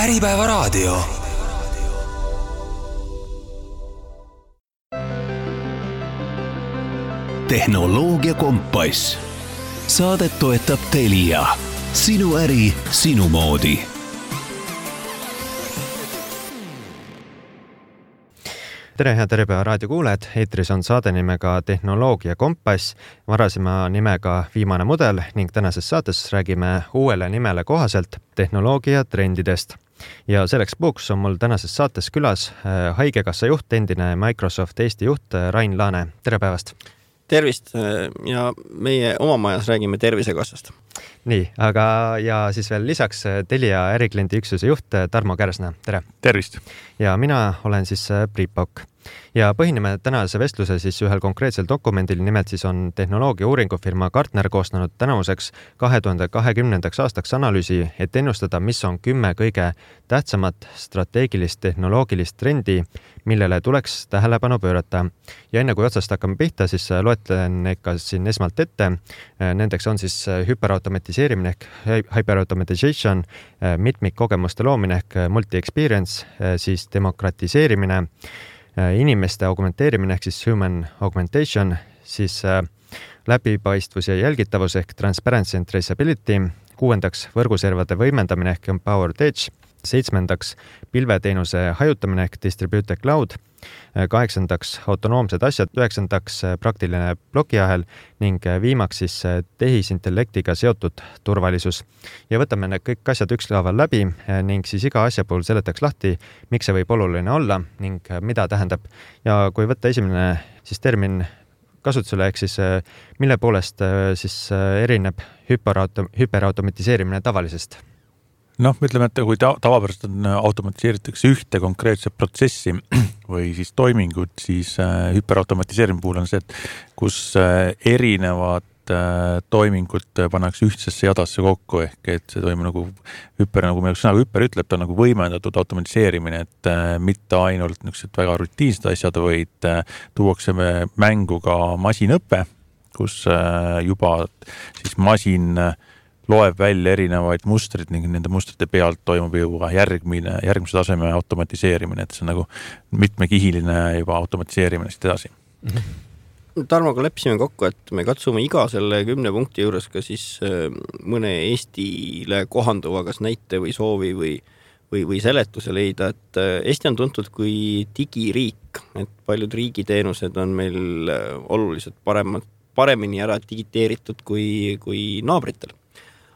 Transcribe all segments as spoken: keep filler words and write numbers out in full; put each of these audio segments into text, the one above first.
Äripäevaraadio. Tehnoloogia kompass. Saadet toetab Telia. Sinu äri, sinu moodi. Tere, head Äripäeva raadio kuulajad. Eetris on saade nimega Tehnoloogia kompass, varasema nimega Viimane mudel ning tänases saates räägime uuele nimele kohaselt tehnoloogia trendidest. Ja selleks puuks on mul tänases saates külas Haigekassa juht, endine Microsoft Eesti juht Rain Laane. Tere päevast! Tervist ja meie oma majas räägime Tervisekassast. Nii, aga ja siis veel lisaks Telia ärikliendi üksuse juht Tarmo Kärsna. Tere! Tervist! Ja mina olen siis Priit Pauk. Ja põhineme tänase vestluse siis ühel konkreetsel dokumendil, nimelt siis on tehnoloogia uuringufirma Gartner koostanud tänavuseks kahe tuhande kahekümnendaks aastaks analüüsi, et ennustada, mis on kümme kõige tähtsamat strateegilist tehnoloogilist trendi, millele tuleks tähelepanu pöörata. Ja enne kui otsast hakkame pihta, siis loetlen ikka siin esmalt ette. Nendeks on siis hüperautomatiseerimine ehk hyperautomatization, mitmikkogemuste loomine ehk multi-experience, siis demokratiseerimine, inimeste augmenteerimine ehk siis human augmentation, siis läbipaistvus ja jälgitavus ehk transparency and traceability, kuuendaks võrguservade võimendamine ehk empowered edge, seitsmendaks pilveteenuse hajutamine ehk distributed cloud, kaheksandaks autonoomsed asjad, üheksandaks praktiline plokiahel ning viimaks siis tehisintellektiga seotud turvalisus. Ja võtame need kõik asjad ükskaaval läbi ning siis iga asja puhul seletaks lahti, miks see võib oluline olla ning mida tähendab. Ja kui võtta esimene siis termin kasutusele, ehk siis mille poolest siis erineb hüperautom- hüperautomatiseerimine tavalisest? Noh, ütleme, et kui ta- tavapärast on automatiseeritakse ühte konkreetset protsessi või siis toimingut, siis hüperautomatiseerimise puhul on see, et kus erinevad toimingud pannakse ühtsesse jadasse kokku, ehk et see toimub nagu hüper, nagu meil sõnaga hüper ütleb, ta on nagu võimendatud automatiseerimine, et mitte ainult niisugused väga rutiinsed asjad, vaid tuuakse mängu ka masinõppe, kus juba siis masin loeb välja erinevaid mustrid ning nende mustrite pealt toimub juba järgmine, järgmise taseme automatiseerimine, et see on nagu mitmekihiline juba automatiseerimine siit edasi. Mm-hmm. Tarmoga leppisime kokku, et me katsume iga selle kümne punkti juures ka siis mõne Eestile kohanduva kas näite või soovi või, või, või seletuse leida, et Eesti on tuntud kui digiriik, et paljud riigiteenused on meil oluliselt paremad, paremini ära digiteeritud kui, kui naabritel.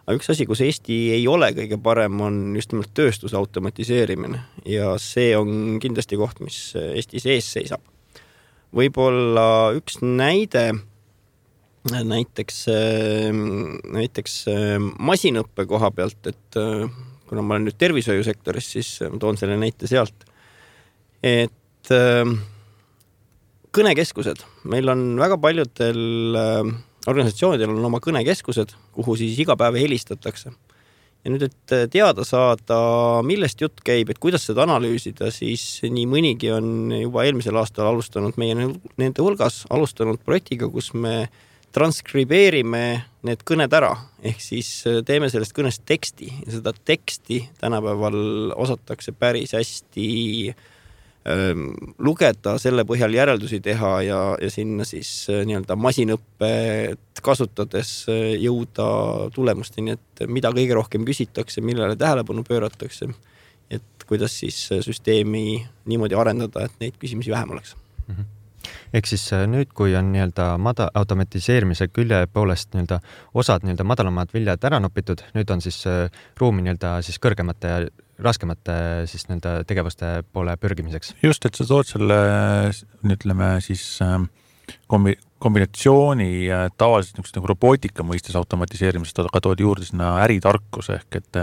Aga üks asi, kus Eesti ei ole kõige parem, on just nimelt tööstuse automatiseerimine ja see on kindlasti koht, mis Eestis ees seisab. Võib-olla üks näide, näiteks, näiteks masinõppe koha pealt, et kuna ma olen nüüd tervishoiusektoris, siis toon selle näite sealt, et kõnekeskused. Meil on väga paljudel organisatsioonidel on oma kõnekeskused, kuhu siis iga päev helistatakse. Ja nüüd, et teada saada, millest jutt käib, et kuidas seda analüüsida, siis nii mõnigi on juba eelmisel aastal alustanud meie nende hulgas, alustanud projektiga, kus me transkribeerime need kõned ära, ehk siis teeme sellest kõnest teksti. Ja seda teksti tänapäeval osatakse päris hästi lugeda, selle põhjal järeldusi teha ja, ja sinna siis nii-öelda masinõppet kasutades jõuda tulemusteni, et mida kõige rohkem küsitakse, millele tähelepanu pööratakse, et kuidas siis süsteemi niimoodi arendada, et neid küsimusi vähem oleks. Mm-hmm. Ehk siis nüüd, kui on nii-öelda mada, automatiseerimise külje poolest nii-öelda osad nii-öelda madalamad viljad ära nopitud, nüüd on siis ruumi nii-öelda siis kõrgemate ja raskemate siis nii-öelda tegevuste poole pürgimiseks. Just, et sa tood selle, ütleme siis kombi, kombinatsiooni tavaliselt nagu robootika mõistes automatiseerimisest, aga tood juurde sinna äritarkus ehk et,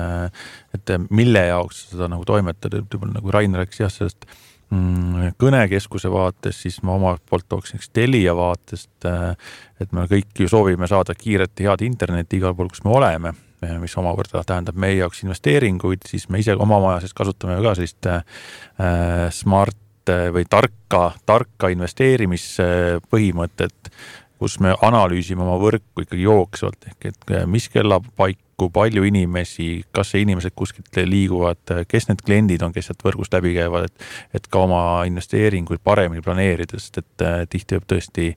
et mille jaoks seda nagu toimetada, nagu Rainer rääkis jah, sellest kõnekeskuse vaates, siis ma oma poolt tooksin Telia vaatest, et me kõik ju soovime saada kiiret ja head internetti igal pool, kus me oleme, mis omakorda tähendab meie jaoks investeeringuid, siis me ise oma majas kasutame ka sellist smart või tarka, tarka investeerimispõhimõtet, kus me analüüsime oma võrku ikkagi jooksvalt, ehk et mis kellapaik kui palju inimesi, kas see inimesed kuskilt liiguvad, kes need kliendid on, kes sealt võrgust läbi käivad, et, et ka oma investeeringuid paremini planeerida, sest et tihti võib tõesti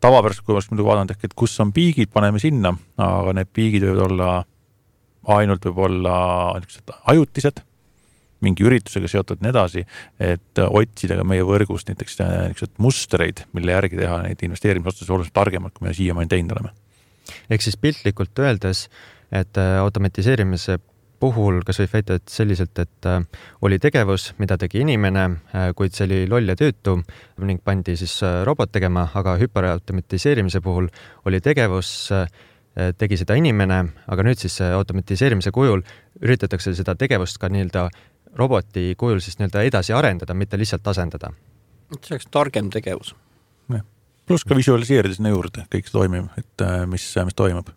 tavapäraselt, kui muidu vaadanud, et kus on piigid, paneme sinna, aga need piigid võivad olla, ainult võib olla ajutised, mingi üritusega seotud nii edasi, et otsida ka meie võrgust näiteks mustreid, mille järgi teha neid investeerimisotsuseid oluliselt targemalt, kui me siiamaani teinud oleme. Ehk siis piltlikult öeldes, et automatiseerimise puhul kas võib väita, et selliselt, et oli tegevus, mida tegi inimene, kuid see oli loll ja tüütu ning pandi siis robot tegema, aga hüperautomatiseerimise puhul oli tegevus, tegi seda inimene, aga nüüd siis automatiseerimise kujul üritatakse seda tegevust ka nii-öelda roboti kujul siis nii-öelda edasi arendada, mitte lihtsalt asendada. See oleks targem tegevus. Ja. Plus ka visualiseerida sinna juurde, kõik see toimib, et mis, mis toimub.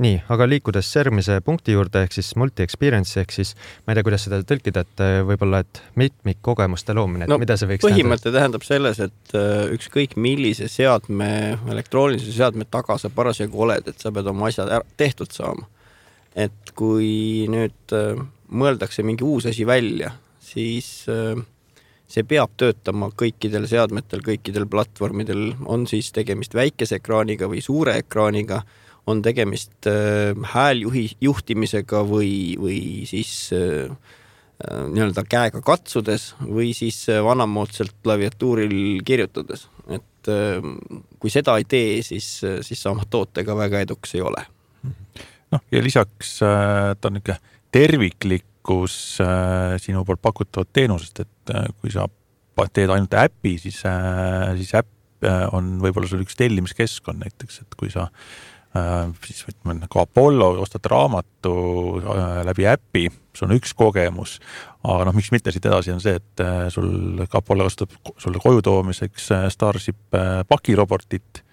Nii, aga liikudes järgmise punkti juurde, ehk siis multi-experience, ehk siis ma ei tea, kuidas seda tõlkida, et võib-olla, et mitmik kogemuste loomine, et no, mida see võiks põhimõte tähendab selles, et ükskõik millise seadme, elektroonilise seadme taga sa parasjagu oled, et sa pead oma asjad ära, tehtud saama. Et kui nüüd mõeldakse mingi uus asi välja, siis see peab töötama kõikidel seadmetel, kõikidel platvormidel, on siis tegemist väikese ekraaniga või suure ekraaniga, on tegemist hääljuhi juhtimisega või, või siis nii-öelda käega katsudes või siis vanamoodsalt klaviatuuril kirjutades. Et kui seda ei tee, siis, siis sama tootega väga eduks ei ole. noh, ja lisaks ta on ikka terviklikkus sinu poolt pakutavat teenusest, et kui sa teed ainult äpi, siis, siis äpp on võib-olla sul üks tellimiskeskkond näiteks, et kui sa siis võtame nagu Apollo, ostad raamatu läbi äpi, sul on üks kogemus, aga noh, miks mitte siit edasi on see, et sul Apollo kasutab sulle koju toomiseks Starship pakirobotit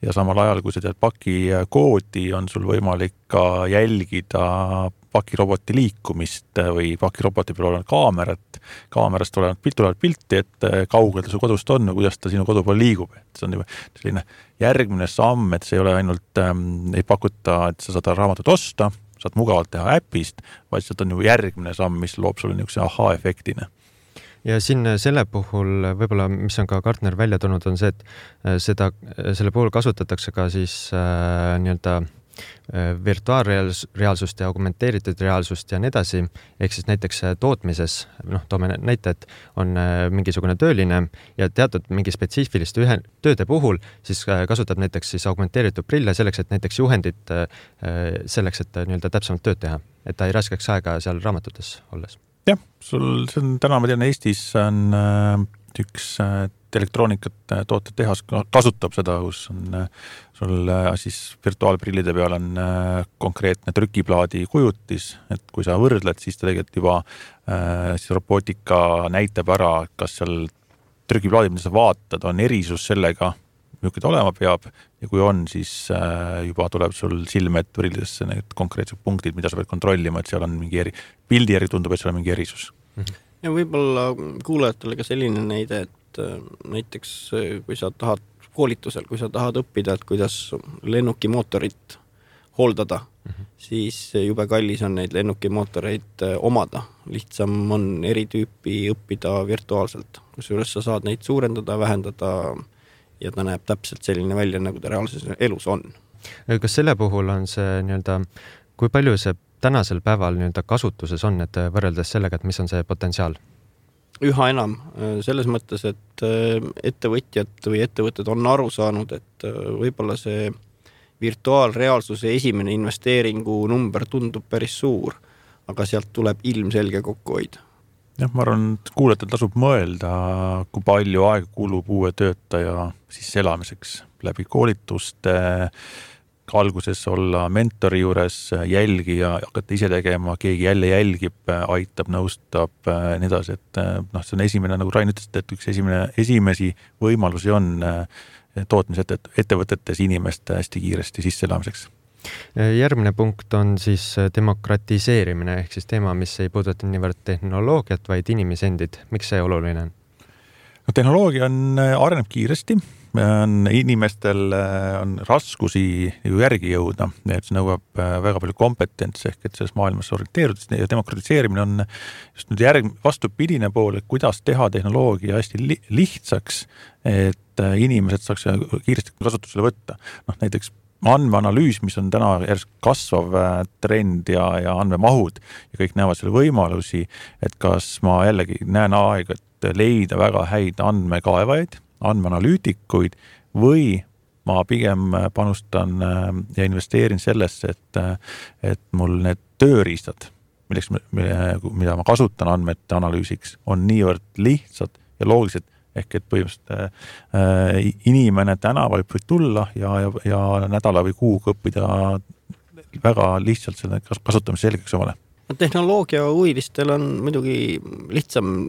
ja samal ajal, kui sa tead paki koodi, on sul võimalik ka jälgida pakiroboti liikumist või pakiroboti peal olevat kaamerat, kaamerast olevat pilt, olevat pilti, et kaugel ta su kodust on ja kuidas ta sinu kodu pool liigub. Et see on juba selline järgmine samm, et see ei ole ainult, ähm, ei pakuta, et sa saad raamatut osta, saad mugavalt teha äpist, vaid see on ju järgmine samm, mis loob sulle niisuguse aha-efektina. Ja siin selle puhul võib-olla, mis on ka Gartner välja tulnud, on see, et seda, selle puhul kasutatakse ka siis äh, nii-öelda virtuaalreaalsust ja augmenteeritud reaalsust ja nii edasi, ehk siis näiteks tootmises, noh, toome näite, et on mingisugune tööline ja teatud mingi spetsiifiliste ühe tööde puhul, siis kasutab näiteks siis augmenteeritud prille selleks, et näiteks juhendit selleks, et nii-öelda täpsemalt tööd teha, et ta ei raskeks aega seal raamatutes olles. Jah, sul, see on täna, ma tean, Eestis on üks elektroonikat tooted tehas kasutab seda, kus on sul siis virtuaalprillide peal on konkreetne trükiplaadi kujutis, et kui sa võrdled, siis ta tegelikult juba siis robootika näitab ära, kas seal trükiplaadid, mida sa vaatad, on erisus sellega, milline ta olema peab ja kui on, siis juba tuleb sul silme ette prillidesse need konkreetsed punktid, mida sa pead kontrollima, et seal on mingi eri, pildi järgi tundub, et seal on mingi erisus. Ja võib-olla kuulajatele ka selline näide, et näiteks kui sa tahad koolitusel, kui sa tahad õppida, et kuidas lennuki mootorit hooldada, mm-hmm. siis jube kallis on neid lennuki mootoreid omada. Lihtsam on eri tüüpi õppida virtuaalselt, kusjuures sa saad neid suurendada, vähendada ja ta näeb täpselt selline välja, nagu ta reaalses elus on. Kas selle puhul on see nii-öelda, kui palju see tänasel päeval nii-öelda kasutuses on, et võrreldes sellega, et mis on see potentsiaal? Üha enam, selles mõttes, et ettevõtjad või ettevõtted on aru saanud, et võib-olla see virtuaalreaalsuse esimene investeeringu number tundub päris suur, aga sealt tuleb ilmselge kokkuhoid. Jah, ma arvan, et kuulajatel tasub mõelda, kui palju aega kulub uue töötaja siis elamiseks läbi koolituste, alguses olla mentori juures, jälgija, hakata ise tegema, keegi jälle jälgib, aitab, nõustab, nii edasi, et noh, see on esimene, nagu Rain ütles, et üks esimene, esimesi võimalusi on tootmisettevõtetes inimeste hästi kiiresti sisseelamiseks. Järgmine punkt on siis demokratiseerimine, ehk siis teema, mis ei puuduta niivõrd tehnoloogiat, vaid inimesendid. Miks see oluline on? No, tehnoloogia on, areneb kiiresti on inimestel on raskusi ju järgi jõuda, et see nõuab väga palju kompetentsi ehk et selles maailmas orienteerudes ja demokratiseerimine on just nüüd järg, vastupidine pool, et kuidas teha tehnoloogia hästi li- lihtsaks, et inimesed saaks kiiresti kasutusele võtta. Noh, näiteks andmeanalüüs, mis on täna järjest kasvav trend ja, ja andmemahud ja kõik näevad selle võimalusi, et kas ma jällegi näen aega, et leida väga häid andmekaevaid, andmeanalüütikuid või ma pigem panustan ja investeerin sellesse, et, et mul need tööriistad, milleks, mida ma kasutan andmete analüüsiks, on niivõrd lihtsad ja loogilised, ehk et põhimõtteliselt äh, inimene tänaval võib tulla ja, ja, ja nädala või kuuga õppida väga lihtsalt selle kasutamise selgeks omale. Tehnoloogia huvilistel on muidugi lihtsam,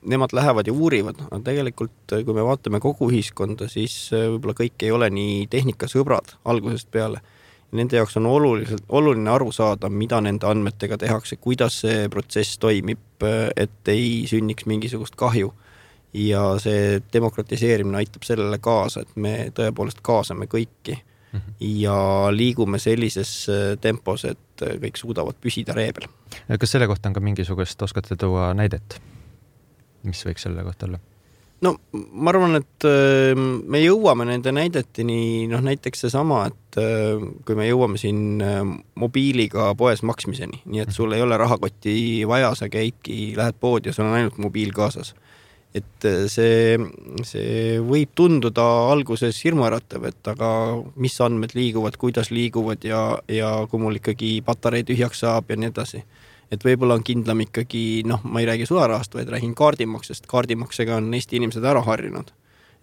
nemad lähevad ja uurivad, aga tegelikult kui me vaatame kogu ühiskonda, siis võib-olla kõik ei ole nii tehnikasõbrad algusest peale. Nende jaoks on oluliselt, oluline aru saada, mida nende andmetega tehakse, kuidas see protsess toimib, et ei sünniks mingisugust kahju. Ja see demokratiseerimine aitab sellele kaasa, et me tõepoolest kaasame kõiki ja liigume sellises tempos, et kõik suudavad püsida reebel. Kas selle kohta on ka mingisugust, oskate tuua näidet? Mis võiks selle kohta olla? No ma arvan, et me jõuame nende näidetini, noh näiteks see sama, et kui me jõuame siin mobiiliga poes maksmiseni, nii et sul ei ole rahakoti vaja, sa käidki, lähed poodi ja sul on ainult mobiil kaasas. Et see, see võib tunduda alguses hirmuäratav, et aga mis andmed liiguvad, kuidas liiguvad ja, ja kui mul ikkagi patarei tühjaks saab ja nii edasi. Et võib-olla on kindlam ikkagi, noh, ma ei räägi sularahast, vaid räägin kaardimaksest. Kaardimaksega on Eesti inimesed ära harjunud.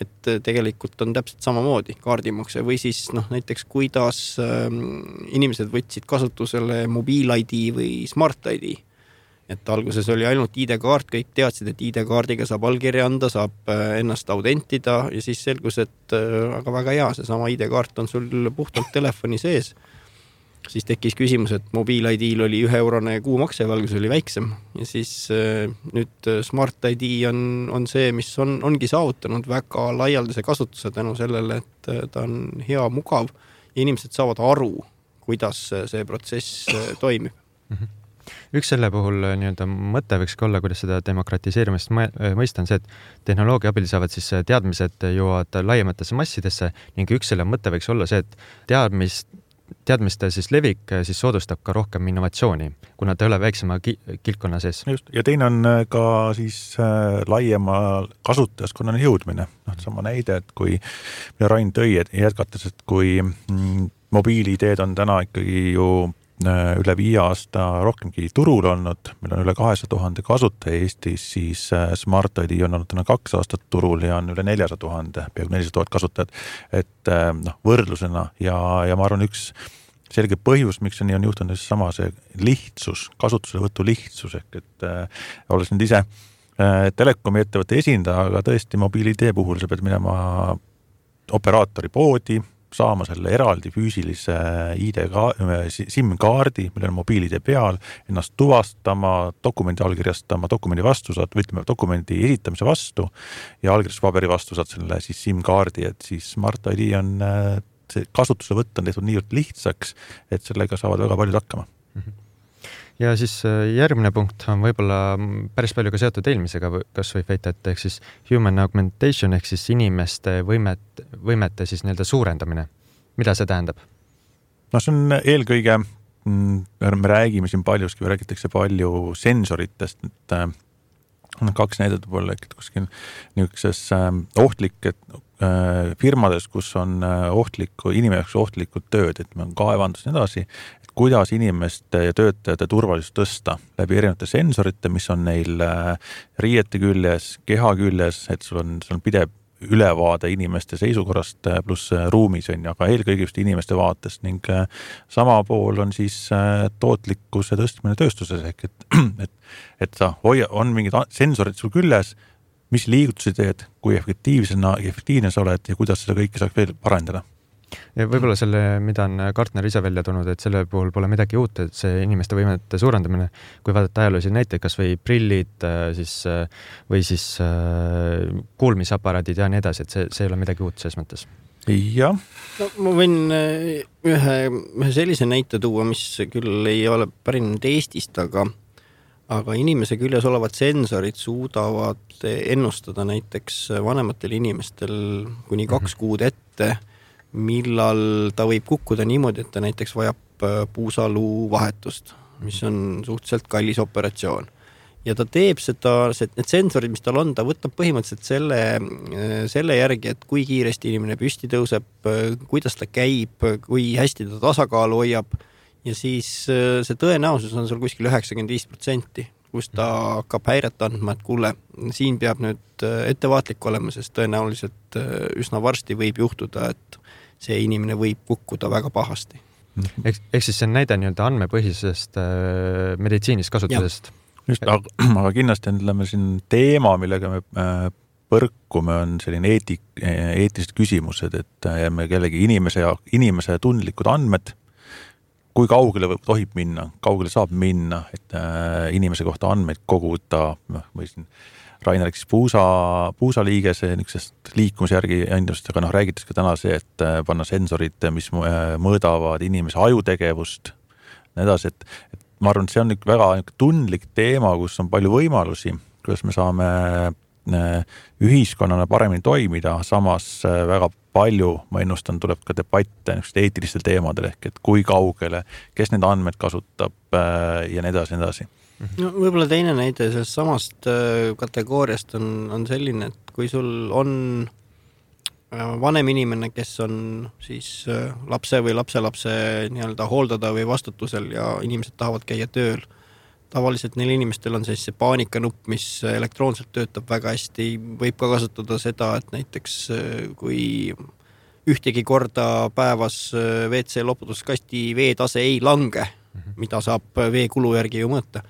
Et tegelikult on täpselt samamoodi kaardimakse või siis noh, näiteks kuidas inimesed võtsid kasutusele mobiil-I D või smart-I D. Et alguses oli ainult I D-kaart, kõik teadsid, et I D-kaardiga saab allkirja anda, saab ennast autentida ja siis selgus, et aga väga hea, see sama I D-kaart on sul puhtalt telefoni sees. Siis tekkis küsimus, et mobiil-I D-l oli ühe eurone kuumakse, valgus oli väiksem ja siis nüüd smart-I D on, on see, mis on, ongi saavutanud väga laialdase kasutuse tänu sellele, et ta on hea, mugav ja inimesed saavad aru, kuidas see protsess toimib. Mm-hmm. Üks selle puhul nii-öelda mõte võiks olla, kuidas seda demokratiseerimist mõista on see, et tehnoloogia abil saavad siis teadmised jõuavad laiematesse massidesse ning üks selle mõte võiks olla see, et teadmist, teadmiste siis levik siis soodustab ka rohkem innovatsiooni, kuna ta ei ole väiksema ki- kilkonna sees. Just. Ja teine on ka siis laiema kasutajaskonnani jõudmine. No, sama näide, et kui Rain tõi jätkates, et kui mm, mobiilideed on täna ikkagi ju üle viie aasta rohkemgi turul olnud, meil on üle kahesaja tuhande kasutaja Eestis, siis Smart I D on olnud täna kaks aastat turul ja on üle neljasada tuhande, peaaegu nelisada tuhat kasutajat, et noh, võrdlusena ja, ja ma arvan üks selge põhjus, miks see nii on juhtunud, sama see lihtsus, kasutuselevõtu lihtsus, ehk et äh, olles nüüd ise äh, telekomi ettevõtte esindaja, aga tõesti mobiil-I D puhul sa pead minema operaatori poodi, saama selle eraldi füüsilise I D SIM-kaardi, millel on mobiil-I D peal, ennast tuvastama, dokumendi allkirjastama, dokumendi vastu saad, või ütleme, dokumendi esitamise vastu ja allkirjastuspaberi vastu saad selle siis SIM-kaardi, et siis Smart I D on, see kasutuse võtta on tehtud niivõrd lihtsaks, et sellega saavad väga paljud hakkama. Ja siis järgmine punkt on võib-olla päris palju ka seotud eelmisega, kas võib väita, et ehk siis human augmentation ehk siis inimeste võimet, võimete siis nii-öelda suurendamine. Mida see tähendab? No see on eelkõige, me räägime siin paljuski, või räägitakse palju sensoritest, et on kaks näidet võib-olla, et kuskil niisuguses ohtlik, et firmades, kus on ohtliku, inimeseks ohtlikud tööd, et me on kaevandus ja nii edasi, kuidas inimeste ja töötajate turvalisust tõsta läbi erinevate sensorite, mis on neil riiete küljes, keha küljes, et sul on, sul on pidev ülevaade inimeste seisukorrast pluss ruumis on, aga eelkõige just inimeste vaatest ning sama pool on siis tootlikkuse tõstmine tööstuses, ehk et, et, et sa hoia, on mingid sensorid sul küljes, mis liigutusi teed, kui efektiivsena, efektiivne sa oled ja kuidas seda kõike saaks veel parandada. Ja võib-olla selle, mida on Gartner ise välja tulnud, et selle puhul pole midagi uut, et see inimeste võimete suurendamine, kui vaadata ajaloolisi näiteid, kas või prillid siis, või siis kuulmisaparaadid ja nii edasi, et see, see ei ole midagi uut selles mõttes. Jah. No, ma võin ühe, ühe sellise näite tuua, mis küll ei ole pärinud Eestist, aga aga inimese küljes olevad sensorid suudavad ennustada näiteks vanematel inimestel kuni kaks kuud ette, millal ta võib kukkuda niimoodi, et ta näiteks vajab puusaluu vahetust, mis on suhteliselt kallis operatsioon. Ja ta teeb seda, need sensorid, mis tal on, ta võtab põhimõtteliselt selle, selle järgi, et kui kiiresti inimene püsti tõuseb, kuidas ta käib, kui hästi ta tasakaalu hoiab, ja siis see tõenäosus on seal kuskil üheksakümmend viis protsenti, kus ta hakkab häiret andma, et kuule, siin peab nüüd ettevaatlik olema, sest tõenäoliselt üsna varsti võib juhtuda, et see inimene võib kukkuda väga pahasti. Ehk, ehk siis see on näide nii-öelda andmepõhisest äh, meditsiinis kasutusest. Just, aga, aga kindlasti ütleme siin teema, millega me põrkume, on selline eetik, eetilised küsimused, et me kellegi inimese, ja, inimese tundlikud andmed, kui kaugele tohib minna, kaugele saab minna, et äh, inimese kohta andmeid koguda, või siin Rainer rääkis puusa, puusaliigese niisugusest liikumise järgi endast, aga noh, räägitas ka täna see, et panna sensorid, mis mõõdavad inimese ajutegevust, edasi, et, et ma arvan, et see on väga tundlik teema, kus on palju võimalusi, kuidas me saame ühiskonnana paremini toimida, samas väga palju, ma ennustan, tuleb ka debatte eetilistel teemadel, ehk et kui kaugele, kes need andmed kasutab ja nii edasi, nii edasi. No, võib-olla teine näide sellest samast kategooriast on, on selline, et kui sul on vanem inimene, kes on siis lapse või lapselapse nii-öelda hooldada või vastutusel ja inimesed tahavad käia tööl, tavaliselt neil inimestel on siis see paanikanupp, mis elektroonselt töötab väga hästi, võib ka kasutada seda, et näiteks kui ühtegi korda päevas W C loputuskasti veetase ei lange, mida saab veekulu järgi ju mõõta,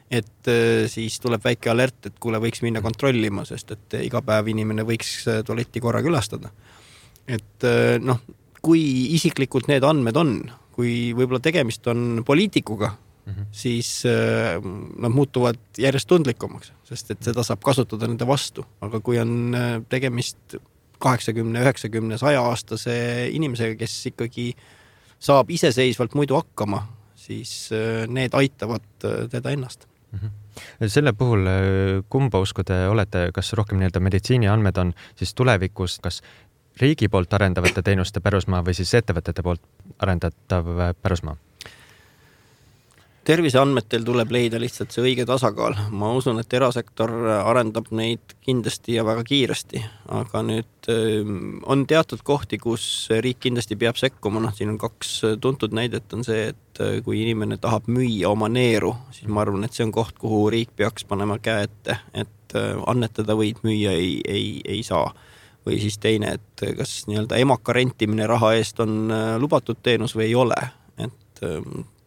et siis tuleb väike alert, et kuule võiks minna kontrollima, sest et iga päev inimene võiks tualetti korra külastada. Et noh, kui isiklikult need andmed on, kui võib-olla tegemist on poliitikuga, mm-hmm. siis nad muutuvad järjest tundlikumaks, sest et seda saab kasutada nende vastu. Aga kui on tegemist kaheksakümne, üheksakümne, saja aastase inimesega, kes ikkagi saab iseseisvalt muidu hakkama, siis need aitavad teda ennast. Mm-hmm. Selle puhul kumba usku te olete, kas rohkem nii-öelda meditsiini andmed on siis tulevikus, kas riigi poolt arendavate teenuste pärusmaa või siis ettevõtete poolt arendatav pärusmaa? Terviseandmetel tuleb leida lihtsalt see õige tasakaal. Ma usun, et erasektor arendab neid kindlasti ja väga kiiresti, aga nüüd on teatud kohti, kus riik kindlasti peab sekkuma. No, siin on kaks tuntud näidet on see, et kui inimene tahab müüa oma neeru, siis ma arvan, et see on koht, kuhu riik peaks panema käe ette, et annetada võid müüa ei, ei, ei saa. Või siis teine, et kas nii-öelda emaka rentimine raha eest on lubatud teenus või ei ole, et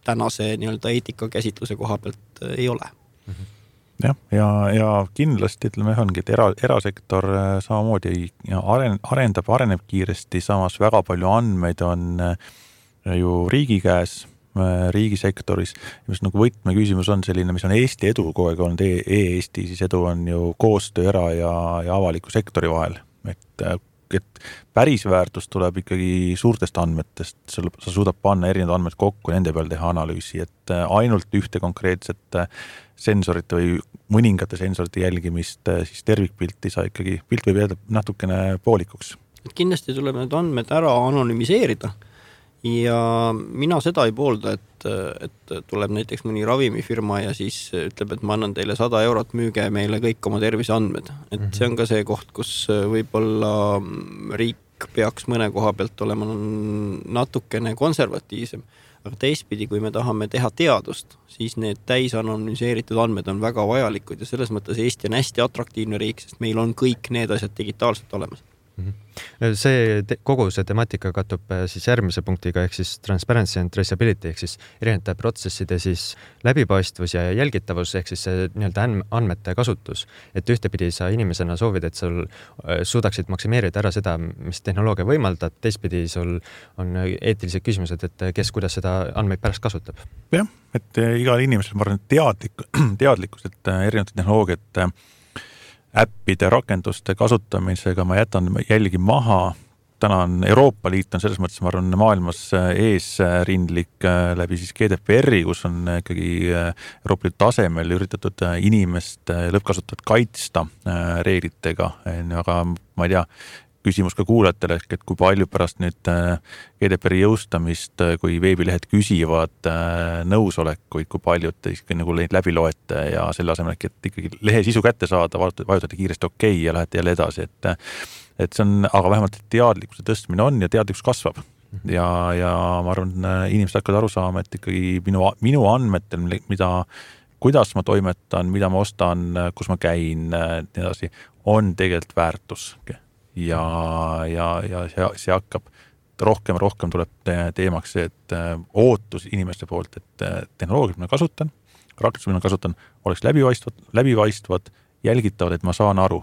tänase nii-öelda eetikakäsitluse koha pealt ei ole. Jah, ja, ja kindlasti ütleme ongi, et era, erasektor samamoodi aren, arendab, areneb kiiresti, samas väga palju andmeid on ju riigi käes, riigisektoris. Mis nagu võtme küsimus on selline, mis on Eesti edu kogu aeg olnud, e-Eesti, siis edu on ju koostöö era- ja, ja avaliku sektori vahel. Et, et päris väärtus tuleb ikkagi suurtest andmetest, sa suudab panna erinevad andmed kokku, nende peal teha analüüsi, et ainult ühte konkreetset sensorite või mõningate sensorite jälgimist, siis tervikpilti sa ikkagi, pilt võib jääda natukene poolikuks. Et kindlasti tuleb need andmed ära anonymiseerida ja mina seda ei poolda, et, et tuleb näiteks mõni ravimifirma ja siis ütleb, et ma annan teile sada eurot, müüge meile kõik oma terviseandmed. Et see on ka see koht, kus võib-olla riik peaks mõne koha pealt olema natukene konservatiivsem, aga teistpidi, kui me tahame teha teadust, siis need täis anonymiseeritud andmed on väga vajalikud ja selles mõttes Eesti on hästi atraktiivne riik, sest meil on kõik need asjad digitaalselt olemas. see te, kogu see temaatika kattub siis järgmise punktiga ehk siis transparency and traceability ehk siis erinevate protsesside siis läbipaistvus ja jälgitavus ehk siis see nii-öelda andmete kasutus. Et ühtepidi sa inimesena soovid, et sul suudaksid maksimeerida ära seda, mis tehnoloogia võimaldab, teistpidi sul on eetilised küsimused, et kes kuidas seda andmeid pärast kasutab. Jah, et igal inimesel ma arvan, teadlik, teadlikkus, et erinevad tehnoloogiad äppide, rakenduste kasutamisega ma jätan jälgi maha. Täna on Euroopa Liit on selles mõttes, ma arvan, maailmas eesrindlik läbi siis G D P R-i, kus on ikkagi Euroopa Liidu tasemel üritatud inimest lõppkasutajat kaitsta reeglitega, aga ma ei tea, küsimus ka kuulajatele, et kui palju pärast nüüd G D P R-i jõustamist, kui veebilehed küsivad nõusolekuid, kui palju te nagu neid läbi loete ja selle asemel, et ikkagi lehe sisu kätte saada, vajutate kiiresti okei okay ja lähete jälle edasi, et, et see on, aga vähemalt teadlikkuse tõstmine on ja teadlikkus kasvab. Ja, ja ma arvan, inimesed hakkavad aru saama, et ikkagi minu, minu andmetel, mida, kuidas ma toimetan, mida ma ostan, kus ma käin, nii edasi, on tegelikult väärtus. Ja, ja, ja see, see hakkab rohkem ja rohkem tuleb teemaks see, et ootus inimeste poolt, et tehnoloogiat ma kasutan, rakendus ma kasutan, oleks läbipaistvad, läbipaistvad, jälgitavad, et ma saan aru.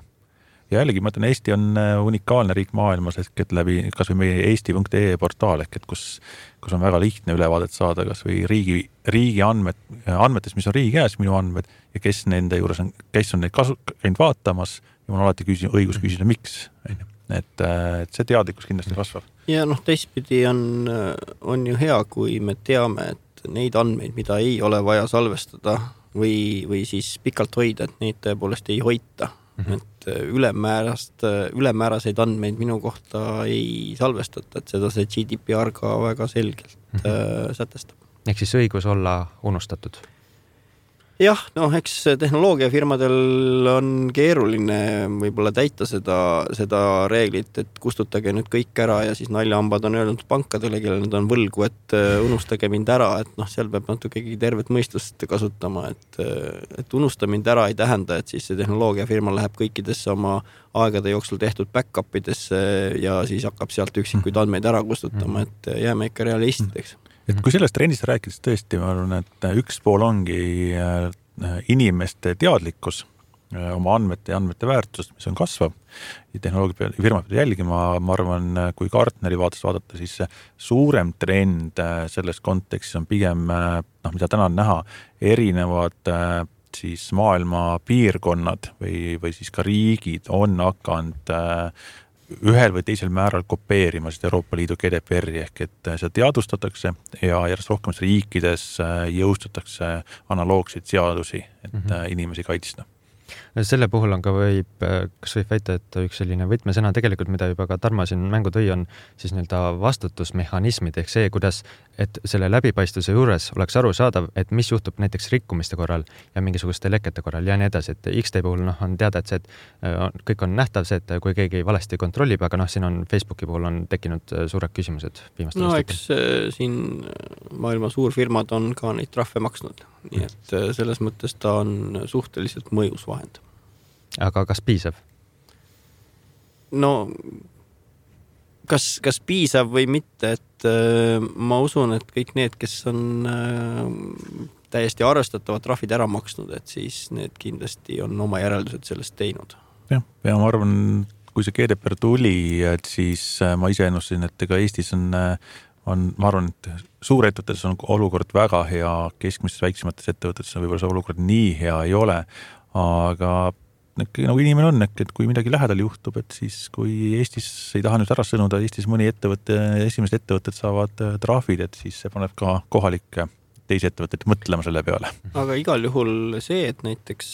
Ja jällegi, ma ütlen, Eesti on unikaalne riik maailmas, et läbi kas või meie eesti punkt e portaal, et kus, kus on väga lihtne ülevaadet saada, kas või riigi, riigi andmed, andmetest, mis on riigi käes, minu andmed, ja kes nende juures on, kes on neid kasu, käinud vaatamas, ja mul on alati küsi, õigus küsida, miks. Et, et see teadlikkus kindlasti kasvab. Ja noh, teistpidi on, on ju hea, kui me teame, et neid andmeid, mida ei ole vaja salvestada või, või siis pikalt hoida, et neid tõepoolest ei hoita. Mm-hmm. Et ülemäärast, ülemääraseid andmeid minu kohta ei salvestata, et seda see G D P R ka väga selgelt mm-hmm. sätestab. Ehk siis õigus olla unustatud? Jah, noh, eks tehnoloogiafirmadel on keeruline võib-olla täita seda, seda reeglit, et kustutage nüüd kõik ära ja siis naljahambad on öelnud pankadele, kellel nad on võlgu, et unustage mind ära, et noh, seal peab natukegi tervet mõistust kasutama, et, et unusta mind ära ei tähenda, et siis see tehnoloogiafirma läheb kõikidesse oma aegade jooksul tehtud back-upidesse ja siis hakkab sealt üksikuid andmeid ära kustutama, et jääme ikka realistideks. Et kui sellest trendist rääkides tõesti, ma arvan, et üks pool ongi inimeste teadlikkus oma andmete ja andmete väärtust, mis on kasvav ja tehnoloogia firma peab jälgima, ma arvan, kui Gartneri vaates vaadata, siis suurem trend selles kontekstis on pigem, noh, mida täna on näha, erinevad siis maailma piirkonnad või, või siis ka riigid on hakanud ühel või teisel määral kopeerima seda Euroopa Liidu G D P R-i ehk et seda teadustatakse ja järjest rohkem riikides jõustatakse analoogseid seadusi, et mm-hmm. inimesi kaitsta. Selle puhul on ka võib, kas võib väita, et üks selline võtmesõna tegelikult, mida juba ka Tarmo siin mängu tõi, on siis nii-öelda vastutusmehhanismid ehk see, kuidas, et selle läbipaistvuse juures oleks aru saadav, et mis juhtub näiteks rikkumiste korral ja mingisuguste lekete korral ja nii edasi, et X-tee puhul noh, on teada, et see, et kõik on nähtav see, et kui keegi valesti kontrollib, aga noh, siin on Facebooki puhul on tekkinud suured küsimused viimastel no eks siin maailma suurfirmad on ka neid trahve maksnud, nii et selles mõttes ta on suhteliselt mõjus vahend. Aga kas piisav? No kas, kas piisav või mitte, et äh, ma usun, et kõik need, kes on äh, täiesti arvestatavad trahvid ära maksnud, et siis need kindlasti on oma järeldused sellest teinud. Ja, ja ma arvan, kui see G D P R tuli, et siis ma ise ennustasin, et ega Eestis on, on, ma arvan, et suurettevõtetes on olukord väga hea, keskmistes väiksemates ettevõtetes on võib-olla see olukord nii hea ei ole, aga nagu inimene on, et kui midagi lähedal juhtub, et siis kui Eestis ei taha nüüd ära sõnuda, Eestis mõni ettevõte, esimesed ettevõtted saavad trahvid, et siis see paneb ka kohalikke teisi ettevõtteid mõtlema selle peale. Aga igal juhul see, et näiteks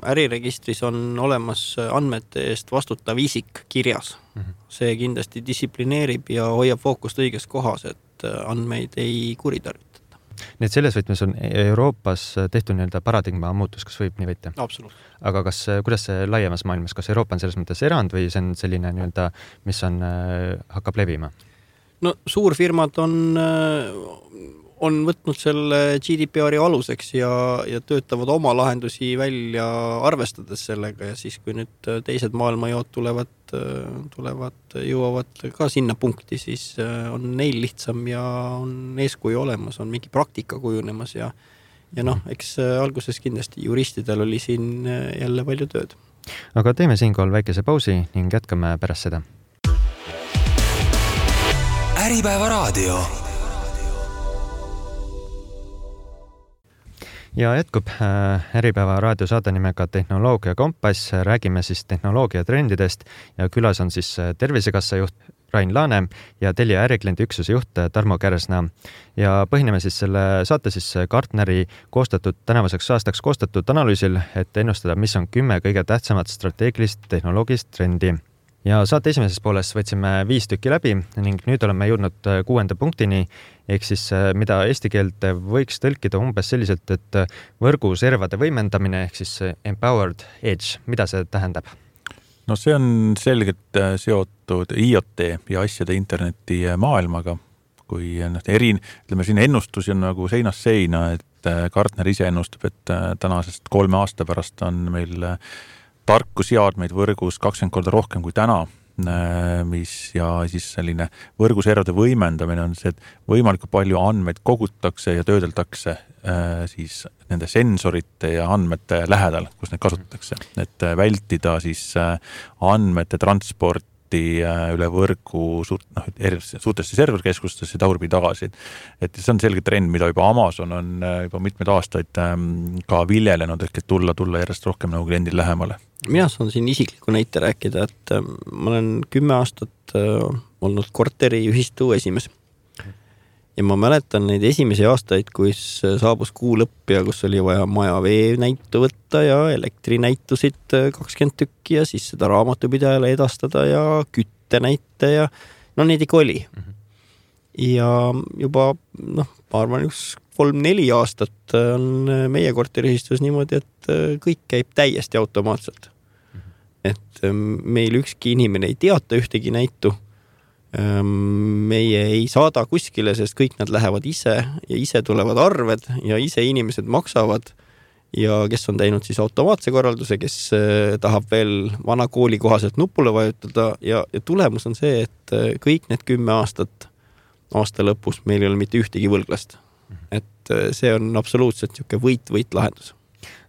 äriregistris on olemas andmete eest vastutav isik kirjas, see kindlasti distsiplineerib ja hoiab fookust õiges kohas, et andmeid ei kuritarvita. Nii et selles võtmes on Euroopas tehtud nii-öelda paradigma muutus, kas võib nii võita? Absoluutselt. Aga kas, kuidas see laiemas maailmas, kas Euroopa on selles mõttes erand või see on selline nii-öelda, mis on, hakkab levima? No suurfirmad on on võtnud selle G D P R-i aluseks ja, ja töötavad oma lahendusi välja arvestades sellega ja siis, kui nüüd teised maailmajood tulevad, tulevad, jõuavad ka sinna punkti, siis on neil lihtsam ja on eeskuju olemas, on mingi praktika kujunemas ja, ja noh, eks alguses kindlasti juristidel oli siin jälle palju tööd. Aga teeme siinkohal väikese pausi ning jätkame pärast seda. Äripäeva raadio. Ja jätkub Äripäeva raadiosaade nimega Tehnoloogia Kompass. Räägime siis tehnoloogia trendidest ja külas on siis Tervisekassa juht Rain Laane ja Telia ärikliendi üksuse juht Tarmo Kärsna. Ja põhineme siis selle saate siis Gartneri koostatud, tänavuseks aastaks koostatud analüüsil, et ennustada, mis on kümme kõige tähtsamat strateegilist tehnoloogilist trendi. Ja saate esimeses pooles võtsime viis tükki läbi ning nüüd oleme jõudnud kuuenda punktini, ehk siis mida eesti keelt võiks tõlkida umbes selliselt, et võrguservade võimendamine ehk siis empowered edge. Mida see tähendab? No see on selgelt seotud IoT ja asjade interneti maailmaga, kui erin, ütleme siin ennustusi on nagu seinast seina, et Gartner ise ennustab, et tänasest kolme aasta pärast on meil tarkuseadmeid võrgus kakskümmend korda rohkem kui täna, mis ja siis selline võrguservade võimendamine on see, et võimalikult palju andmeid kogutakse ja töödeldakse siis nende sensorite ja andmete lähedal, kus neid kasutatakse, et vältida siis andmete transporti üle võrgu suurt, noh, suurtesse serverkeskustesse tagurpidi tagasi. Et see on selge trend, mida juba Amazon on juba mitmed aastaid ka viljelenud, ehk et tulla, tulla järjest rohkem nagu kliendil lähemale. Mina saan siin isikliku näite rääkida, et ma olen kümme aastat olnud korteri ühistu esimees. Ja ma mäletan neid esimesi aastaid, kus saabus kuu lõpp ja kus oli vaja maja vee näitu võtta ja elektrinäitusid kakskümmend tükki ja siis seda raamatupidajale edastada ja kütte näite ja no neid ikka oli. Ja juba, noh, ma arvan, üks kolm-neli aastat on meie korteriühistus niimoodi, et kõik käib täiesti automaatselt. Et meil ükski inimene ei teata ühtegi näitu. Meie ei saada kuskile, sest kõik nad lähevad ise ja ise tulevad arved ja ise inimesed maksavad ja kes on teinud siis automaatse korralduse, kes tahab veel vana kooli kohaselt nupule vajutada ja, ja tulemus on see, et kõik need kümme aastat aasta lõpus meil ei ole mitte ühtegi võlglast. Et see on absoluutselt niisugune võit-võit lahendus.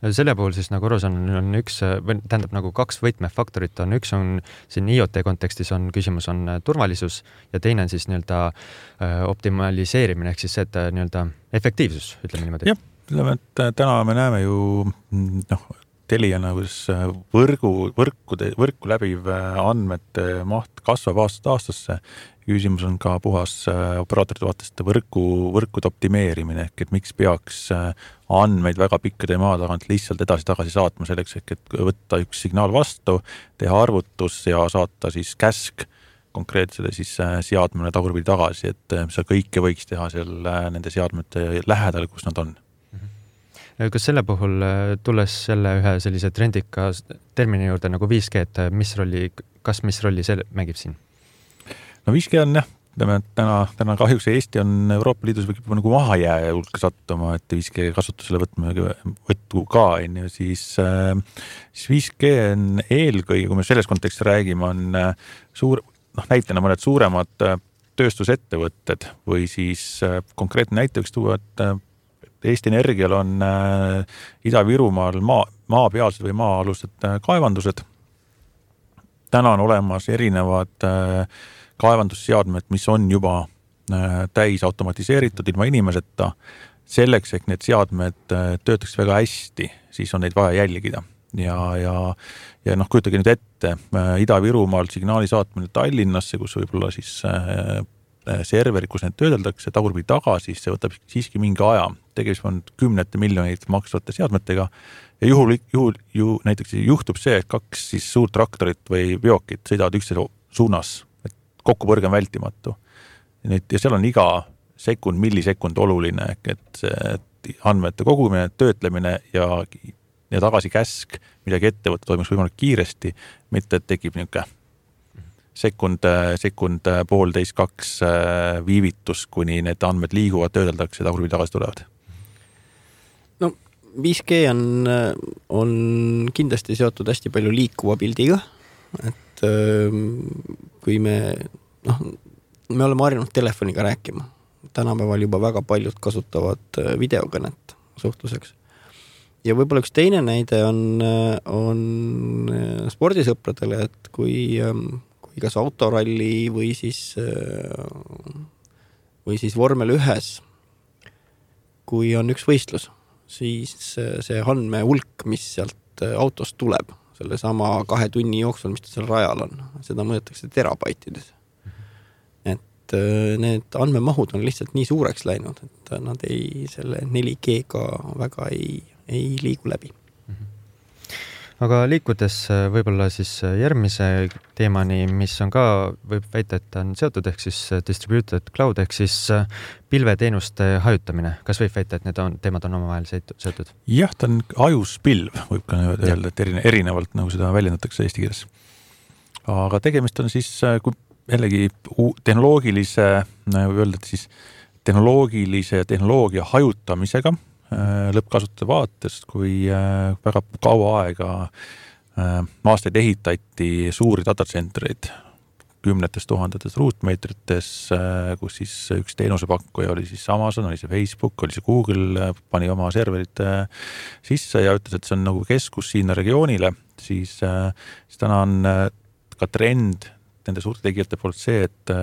Selle puhul siis nagu arusan on üks, tähendab nagu kaks võtmefaktorit on, üks on siin IoT kontekstis on küsimus on turvalisus ja teine on siis nii-öelda optimaliseerimine ehk siis see, et nii-öelda efektiivsus, ütleme niimoodi. Jah, ütleme, et täna me näeme ju noh, Teliana, kus võrgu, võrkude, võrku läbiv andmete maht kasvab aastast aastasse. Küsimus on ka puhas operaatorite vaatest võrku, võrkude optimeerimine, ehk et miks peaks andmeid väga pikkade maa tagant lihtsalt edasi-tagasi saatma selleks, ehk et võtta üks signaal vastu, teha arvutus ja saata siis käsk konkreetsele siis seadmele tagurpidi tagasi, et see kõike võiks teha seal nende seadmete lähedal, kus nad on. Kas selle puhul tulles selle ühe sellise trendika termini juurde nagu viis G, et mis rolli, kas mis rolli see mängib siin? No viis G on jah, täna, täna kahjuks Eesti on Euroopa Liidus võib nagu mahajääja hulka sattuma, et viis G kasutusele võtme võttu ka, siis, siis viis G on eelkõige, kui me selles kontekstis räägime, on suur, noh, näitena mõned suuremad tööstusettevõtted või siis konkreetne näite võiks tuua, et Eesti Energial on Ida-Virumaal maa, maapealsed või maa-alused kaevandused. Täna on olemas erinevad kaevandusseadmed, mis on juba täis automatiseeritud ilma inimeseta. Selleks, et need seadmed töötaks väga hästi, siis on neid vaja jälgida. Ja, ja, ja noh, kujutage nüüd ette, Ida-Virumaal signaali saatmine Tallinnasse, kus võib-olla siis serveri, kus need töödeldakse, tagurpidi tagasi, see võtab siiski mingi aja. Tegemist on kümnete miljoneid maksvate seadmetega ja juhul, juhul ju näiteks juhtub see, et kaks siis suurt traktorit või veokit sõidavad üksteise suunas, et kokkupõrge on vältimatu. Ja seal on iga sekund, millisekund oluline, et see andmete kogumine, töötlemine ja, ja tagasi käsk, midagi ette võtta toimus võimalik kiiresti, mitte et tekib niisugune sekund, sekund poolteist, kaks viivitus, kuni need andmed liiguvad, töödeldakse ja tagurpidi tagasi tulevad. No viis G on, on kindlasti seotud hästi palju liikuva pildiga, et kui me, noh, me oleme harjunud telefoniga rääkima. Tänapäeval juba väga paljud kasutavad videokõnet suhtluseks. Ja võib-olla üks teine näide on, on spordisõpradele, et kui, kui kas autoralli või siis, või siis vormel ühes, kui on üks võistlus, siis see andme hulk, mis sealt autost tuleb, selle sama kahe tunni jooksul, mis ta seal rajal on, seda mõõdetakse terabaitides. Et need andmemahud on lihtsalt nii suureks läinud, et nad ei, selle neli G-ga väga ei ei liigu läbi. Aga liikudes võib-olla siis järgmise teemani, mis on ka, võib väita, et on seotud, ehk siis distributed cloud, ehk siis pilveteenuste hajutamine. Kas võib väita, et need on, teemad on omavahel seotud? Jah, ta on ajuspilv, võib ka öelda, et erinevalt nagu seda väljendatakse eesti keeles. Aga tegemist on siis, kui jällegi tehnoloogilise, võib öelda, et siis tehnoloogilise ja tehnoloogia hajutamisega lõppkasutuse vaatest, kui väga kaua aega aastaid ehitati suuri datacentreid kümnetes tuhandetes ruutmeetrites, kus siis üks teenusepakkuja oli siis Amazon, oli see Facebook, oli see Google, pani oma serverid sisse ja ütles, et see on nagu keskus siin regioonile, siis, siis täna on ka trend nende suurte tegijate poolt see, et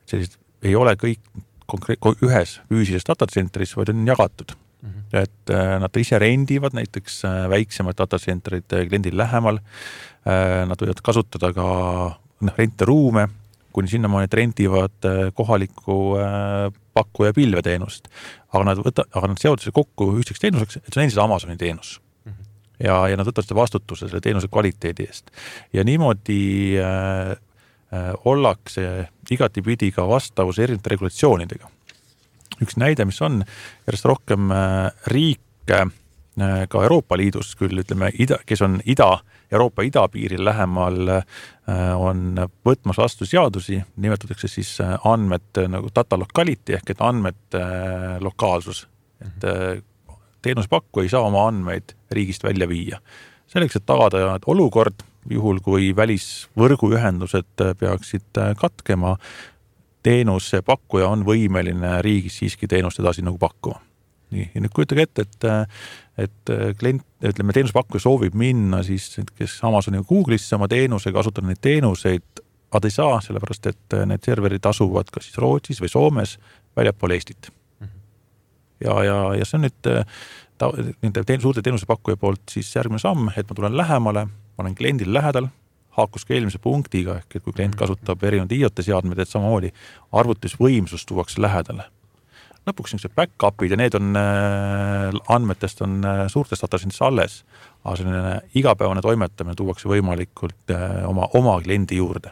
sellised ei ole kõik konkreet, ühes füüsilises datacentris, vaid on jagatud. Mm-hmm. Et nad ise rendivad näiteks väiksemad datacentrid kliendil lähemal, nad võivad kasutada ka renteruume, kuni sinnamaani, et rendivad kohaliku pakkuja pilveteenust, aga nad, võta, aga nad seotakse kokku ühtseks teenuseks, et see on endiselt Amazoni teenus. Mm-hmm. Ja, ja nad võtavad seda vastutuse selle teenuse kvaliteedi eest. Ja niimoodi äh, äh, ollakse igatipidi ka vastavus erinevate regulatsioonidega. Üks näide, mis on järjest rohkem riike ka Euroopa Liidus küll, ütleme, ida, kes on ida, Euroopa idapiiril lähemal, on võtmas vastu seadusi, nimetatakse siis andmed nagu data locality ehk et andmed lokaalsus. Et teenuspakku ei saa oma andmeid riigist välja viia. Selleks, et tagada olukord, juhul kui välisvõrguühendused peaksid katkema, teenuse pakkuja on võimeline riigis siiski teenust edasi nagu pakkuma. Nii, ja nüüd kujutage ette, et, et klient, ütleme, teenusepakkuja soovib minna siis, kes Amazoni ja Google'isse oma teenuse, kasutada neid teenuseid, aga ei saa, sellepärast, et need serverid asuvad kas siis Rootsis või Soomes väljapool Eestit. Ja, ja, ja see on nüüd ta, nende teen, suurte teenusepakkuja poolt siis järgmine samm, et ma tulen lähemale, ma olen kliendil lähedal, haakus ka eelmise punktiga, ehk et kui klient kasutab erinevad I O T-seadmed, et samamoodi arvutusvõimsus tuuakse lähedale. Lõpuks niisugused back-upid ja need on andmetest on suurtest datacentris alles, aga selline igapäevane toimetamine tuuakse võimalikult oma, oma kliendi juurde.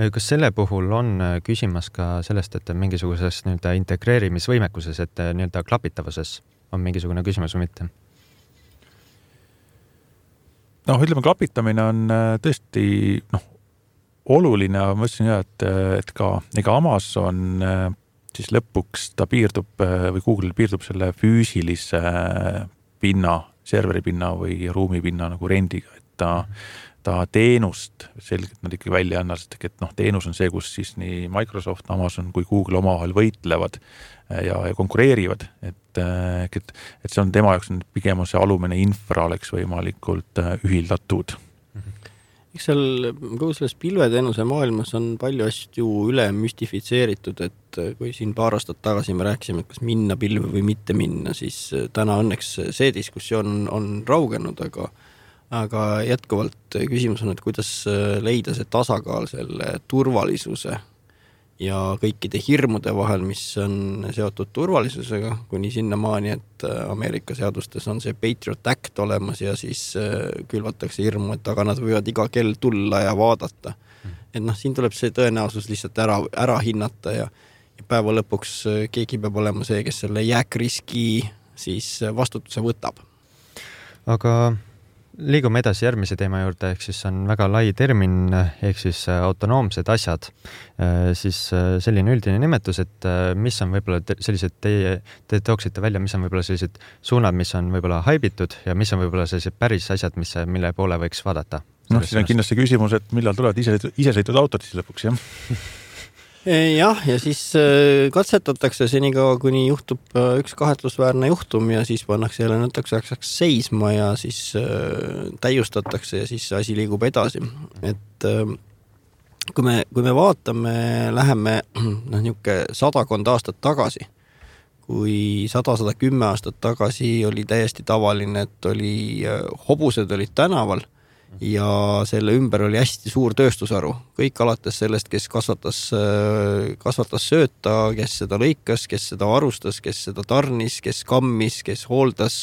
Kas selle puhul on küsimas ka sellest, et mingisuguses nii-öelda integreerimisvõimekuses, et nii-öelda klapitavuses on mingisugune küsimus või mitte? No, ütleme, klapitamine on tõesti noh, oluline, aga ma ütlesin jah, et, et ka ega Amazon siis lõpuks ta piirdub või Google piirdub selle füüsilise pinna, serveri pinna või ruumi pinna nagu rendiga, et ta, ta teenust selgelt nad ikkagi välja anna, sest et noh, teenus on see, kus siis nii Microsoft, Amazon kui Google omavahel võitlevad ja, ja konkureerivad, et, et, et see on tema jaoks pigem see alumine infra oleks võimalikult ühildatud. Eks seal kogu selles pilveteenuse maailmas on palju asju üle müstifitseeritud, et kui siin paar aastat tagasi me rääkisime, et kas minna pilve või mitte minna, siis täna õnneks see diskussioon on, on raugenud, aga aga jätkuvalt küsimus on, et kuidas leida see tasakaal selle turvalisuse ja kõikide hirmude vahel, mis on seotud turvalisusega, kuni sinnamaani, et Ameerika seadustes on see Patriot Act olemas ja siis külvatakse hirmu, et aga nad võivad iga kell tulla ja vaadata. Et noh, siin tuleb see tõenäosus lihtsalt ära, ära hinnata ja, ja päeva lõpuks keegi peab olema see, kes selle jääkriski siis vastutuse võtab. Aga liigume edasi järgmise teema juurde, ehk siis on väga lai termin, ehk siis autonoomsed asjad. Siis selline üldine nimetus, et mis on võib-olla sellised, teie, te tooksite välja, mis on võib-olla sellised suunad, mis on võib-olla haibitud ja mis on võib-olla sellised päris asjad, mis, mille poole võiks vaadata. Noh, siis on kindlasti küsimus, et millal tulevad ise, isesõitud autod siis lõpuks, jah? Jah, ja siis katsetatakse senikaua, kuni juhtub üks kahetlusväärne juhtum ja siis pannakse jälle näiteks ajaks seisma ja siis täiustatakse ja siis asi liigub edasi. Et kui me, kui me vaatame, läheme noh, niuke sadakond aastat tagasi, kui sada, sada kümme aastat tagasi oli täiesti tavaline, et oli, hobused olid tänaval ja selle ümber oli hästi suur tööstusharu. Kõik alates sellest, kes kasvatas, kasvatas sööta, kes seda lõikas, kes seda varustas, kes seda tarnis, kes kammis, kes hooldas,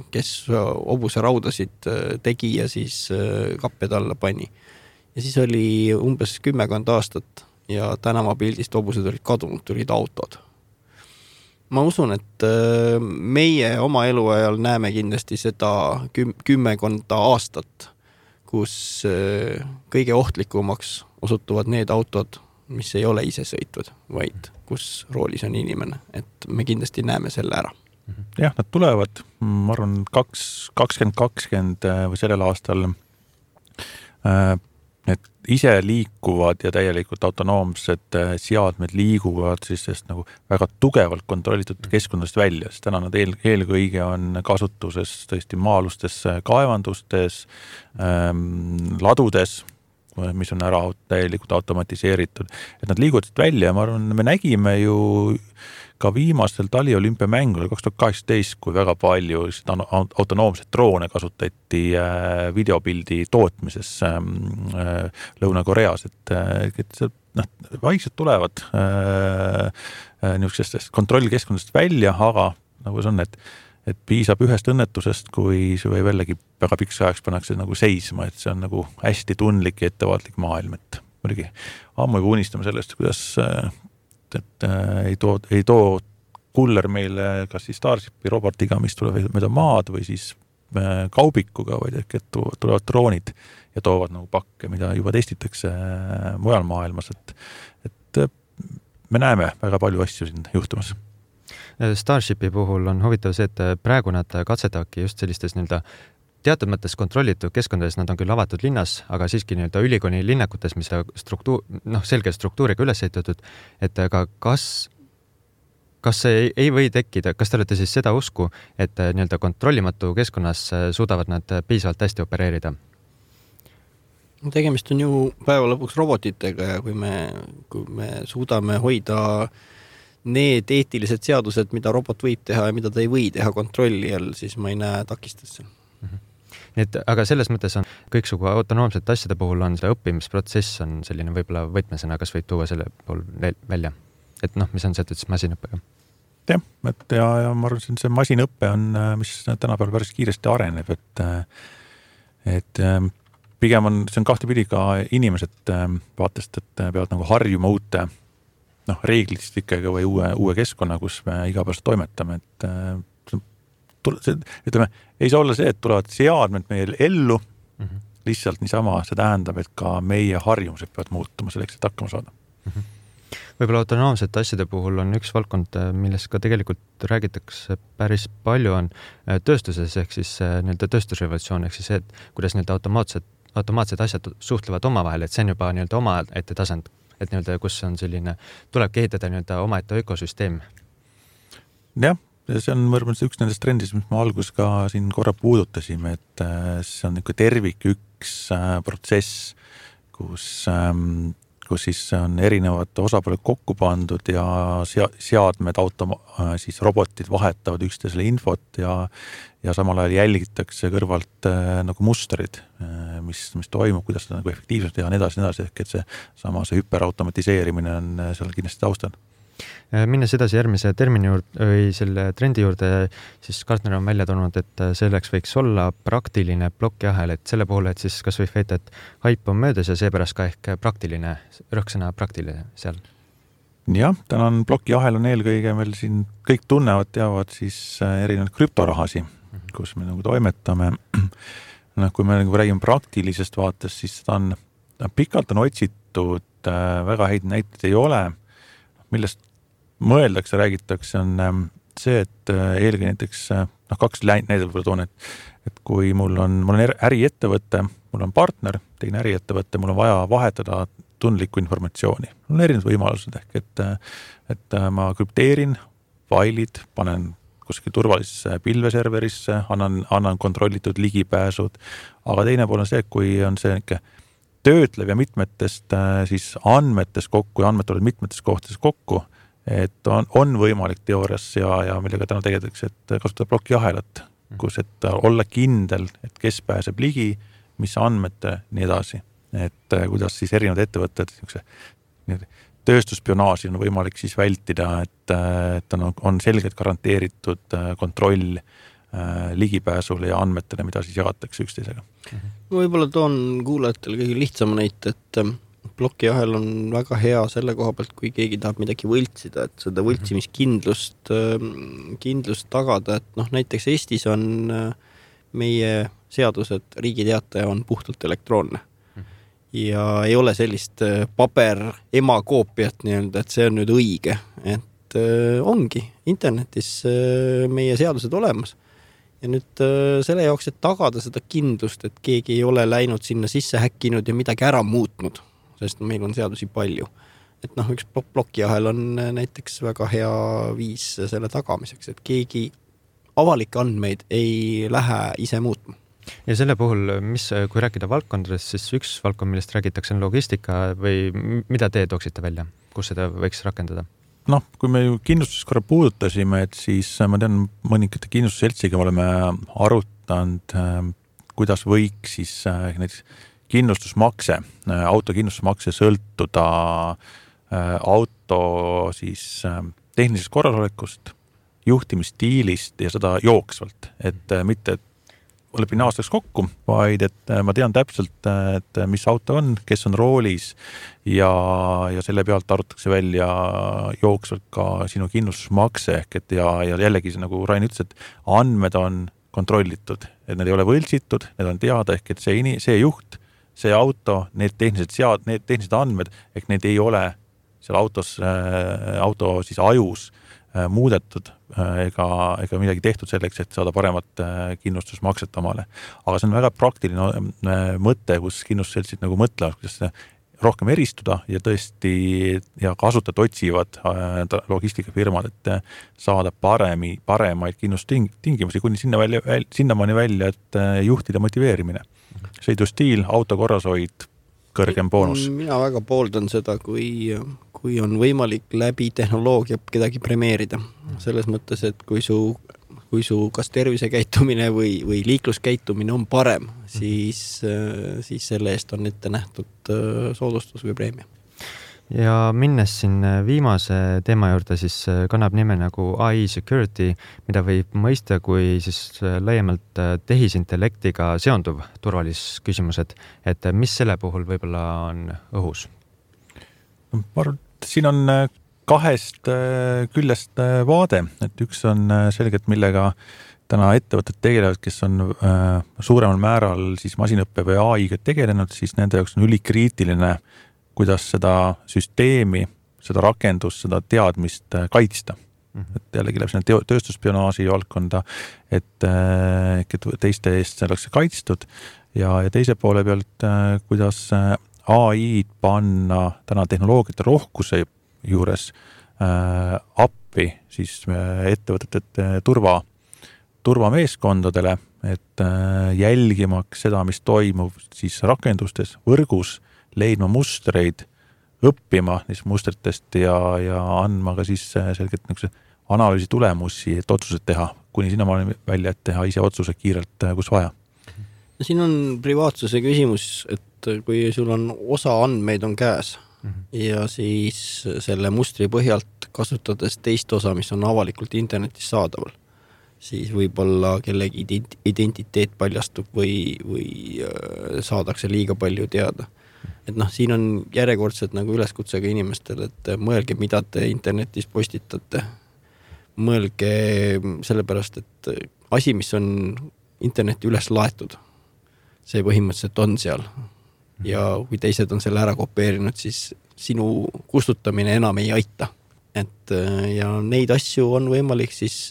kes hobuse raudasid tegi ja siis kapped alla pani. Ja siis oli umbes kümmekond aastat ja tänavapildist hobused olid kadunud, tulid autod. Ma usun, et meie oma eluajal näeme kindlasti seda küm- kümmekonda aastat, kus kõige ohtlikumaks osutuvad need autod, mis ei ole ise sõitvad, vaid kus roolis on inimene. Et me kindlasti näeme selle ära. Jah, nad tulevad, ma arvan, kakskümmend kakskümmend või sellel aastal need ise liikuvad ja täielikult autonoomsed seadmed liiguvad siis sest nagu väga tugevalt kontrollitud keskkonnast välja, sest täna nad eel, eelkõige on kasutuses tõesti maalustes kaevandustes, ähm, ladudes, mis on ära täielikult automatiseeritud, et nad liiguvad välja ja ma arvan, me nägime ju ka viimastel taliolümpiamängul kaks tuhat kaheksateist, kui väga palju autonoomset droone kasutati videopildi tootmises Lõuna-Koreas, et, et see, noh, vaikselt tulevad niisugustest kontrollkeskkondadest välja, aga nagu see on, et, et piisab ühest õnnetusest, kui see või jällegi väga pikks ajaks pannakse nagu seisma, et see on nagu hästi tundlik ja ettevaatlik maailm, et muidugi ammu juba unistame sellest, kuidas et äh, ei too, ei too kuller meile kas siis Starshipi robotiga, mis tuleb mööda maad või siis äh, kaubikuga, vaid et tulevad droonid ja toovad nagu pakke, mida juba testitakse äh, mujal maailmas, et, et äh, me näeme väga palju asju siin juhtumas. Starshipi puhul on huvitav see, et praegu nad katsetavadki just sellistes nii-öelda teatud mõttes kontrollitud keskkondades, nad on küll avatud linnas, aga siiski nii-öelda ülikooli linnakutes, mis struktuur, noh, selge struktuuriga üles ehitatud, et aga kas, kas see ei, ei või tekkida, kas te olete siis seda usku, et nii-öelda kontrollimatu keskkonnas suudavad nad piisavalt hästi opereerida? Tegemist on ju päeva lõpuks robotitega ja kui me, kui me suudame hoida need eetilised seadused, mida robot võib teha ja mida ta ei või teha kontrolli all, siis ma ei näe takistesse. Mm-hmm. Et, aga selles mõttes on kõiksugu autonoomsete asjade puhul on see õppimisprotsess on selline võib-olla võtmesena, kas võid tuua selle pool välja, et noh, mis on seotud siis masinõppega? Jah, et ja, ja ma arvan, see masinõppe on, mis tänapäeval päris kiiresti areneb, et, et pigem on, see on kahtepidi ka inimesed vaatest, et peavad nagu harjuma uute noh, reeglistikega või uue, uue keskkonna, kus me igapäevaselt toimetame, et see, ütleme, ei saa olla see, et tulevad seadmed meil ellu mm-hmm. lihtsalt niisama, see tähendab, et ka meie harjumused peavad muutuma selleks, et hakkama saada. Mm-hmm. Võib-olla autonoomsete asjade puhul on üks valdkond, millest ka tegelikult räägitakse päris palju, on tööstuses ehk siis nii-öelda tööstusrevolutsioon, ehk siis see, et kuidas nii-öelda automaatsed, automaatsed asjad suhtlevad omavahel, et see on juba nii-öelda oma ette tasand, et nii-öelda kus on selline, tulebki ehitada nii-öelda oma ette ökosüsteem. Jah, see on mõrmast üks nendest trendist, mis ma algus ka siin korra puudutasime, et see on niisugune tervik üks protsess, kus, kus siis on erinevad osapooled kokku pandud ja seadmed, automa-, siis robotid vahetavad üksteisele infot ja, ja samal ajal jälgitakse kõrvalt nagu mustrid, mis, mis toimub, kuidas seda nagu efektiivselt teha, nii edasi, nii edasi, ehk et see sama see hüperautomatiseerimine on seal kindlasti taustal. Minnes edasi järgmise termini juurde või selle trendi juurde, siis Gartner on välja toonud, et selleks võiks olla praktiline plokiahel, et selle puhul, et siis kas võib väita, et haip on möödas ja seepärast ka ehk praktiline, rõhksõna praktiline seal. Jah, täna on plokiahel on eelkõige meil siin kõik tunnevad, teavad siis erinevad krüptorahasi, kus me nagu toimetame. noh, kui me nagu räägime praktilisest vaatest, siis seda on, pikalt on otsitud, väga häid näiteid ei ole, millest mõeldakse, räägitakse, on see, et eelkõige näiteks, noh, kaks näidet võib-olla toon, et, et kui mul on, mul on äriettevõte, mul on partner, teine äriettevõte, mul on vaja vahetada tundlikku informatsiooni. Mul on erinevad võimalused ehk, et, et ma krüpteerin failid, panen kuskil turvalisse pilveserverisse, annan, annan kontrollitud ligipääsud, aga teine pool on see, kui on see niisugune töötlev ja mitmetest siis andmetest kokku ja andmed tulevad mitmetest kohtades kokku, et on, on võimalik teoorias ja, ja millega täna tegeletakse, et kasutada plokiahelat, kus et olla kindel, et kes pääseb ligi, mis andmete, nii edasi. Et kuidas siis erinevad ettevõtted tööstuspionaaži on võimalik siis vältida, et, et on, on selgelt garanteeritud kontroll ligipääsule ja andmetele, mida siis jagatakse üksteisega. Võib-olla toon kuulajatele kõige lihtsama näite, et plokiahel on väga hea selle koha pealt, kui keegi tahab midagi võltsida, et seda võltsimiskindlust kindlust tagada, et noh, näiteks Eestis on meie seadused, riigiteataja on puhtalt elektroonne. Ja ei ole sellist paber ema koopiat nii-öelda, et see on nüüd õige, et äh, ongi internetis äh, meie seadused olemas ja nüüd äh, selle jaoks, et tagada seda kindlust, et keegi ei ole läinud sinna sisse häkkinud ja midagi ära muutnud, sest meil on seadusi palju, et noh, üks plokiahel on näiteks väga hea viis selle tagamiseks, et keegi avalikke andmeid ei lähe ise muutma. Ja selle puhul, mis, kui rääkida valdkondadest, siis üks valdkond, millest räägitakse, on logistika või mida te tooksite välja, kus seda võiks rakendada? Noh, kui me ju kindlustus korra puudutasime, et siis ma tean mõnikate kindlustusseltsiga oleme arutanud, kuidas võiks siis näiteks kindlustusmakse, autokindlustusmakse sõltuda auto siis tehnilisest korrasolekust, juhtimisstiilist ja seda jooksvalt, et mitte lepin aastaks kokku, vaid et ma tean täpselt, et mis auto on, kes on roolis ja, ja selle pealt arutatakse välja jooksvalt ka sinu kindlustusmakse ehk et ja, ja jällegi nagu Rain ütles, et andmed on kontrollitud, et need ei ole võltsitud, need on teada ehk et see, see juht, see auto, need tehnilised sead, need tehnilised andmed ehk need ei ole seal autos, auto siis ajus muudetud ega, ega midagi tehtud selleks, et saada paremat kindlustusmakset omale. Aga see on väga praktiline mõte, kus kindlustusseltsid nagu mõtlevad, kuidas rohkem eristuda ja tõesti ja kasutajad otsivad logistikafirmad, et saada paremi, paremaid kindlustingimusi kuni sinna välja, sinnamaani välja, et juhtida motiveerimine. Sõidustiil, auto korrashoid, kõrgem boonus. Mina väga pooldan seda, kui, kui on võimalik läbi tehnoloogia kedagi premeerida. Selles mõttes, et kui su, kui su kas tervisekäitumine või, või liikluskäitumine on parem, siis, siis selle eest on ette nähtud soodustus või preemia. Ja minnes siin viimase teema juurde, siis kannab nime nagu A I security, mida võib mõista kui siis laiemalt tehisintellektiga seonduv turvalisusküsimused, et mis selle puhul võib-olla on õhus? Ma arvan, et siin on kahest küljest vaade, et üks on selgelt, millega täna ettevõtted tegelevad, kes on suuremal määral siis masinõppe või A I-ga tegelenud, siis nende jaoks on ülikriitiline kuidas seda süsteemi, seda rakendust, seda teadmist kaitsta. Et jällegi läheb sinna tööstuspionaaži valdkonda, et, et teiste eest see oleks kaitstud ja, ja teise poole pealt, kuidas A I-d panna täna tehnoloogiate rohkuse juures äh, appi siis ettevõtete turva, turvameeskondadele, et äh, jälgimaks seda, mis toimub siis rakendustes, võrgus, leidma mustreid, õppima neist mustritest ja, ja andma ka siis selgelt analüüsi tulemusi, et otsused teha, kuni sinna välja, et teha ise otsuse kiirelt, kus vaja. Siin on privaatsuse küsimus, et kui sul on osa andmeid on käes mm-hmm. ja siis selle mustri põhjalt kasutades teist osa, mis on avalikult internetis saadaval, siis võib-olla kellegi identiteet paljastub või, või saadakse liiga palju teada. Et noh, siin on järjekordselt nagu üleskutsega inimestel, et mõelge, mida te internetis postitate. Mõelge sellepärast, et asi, mis on interneti üles laetud, see põhimõtteliselt on seal. Ja kui teised on selle ära kopeerinud, siis sinu kustutamine enam ei aita. Et ja neid asju on võimalik siis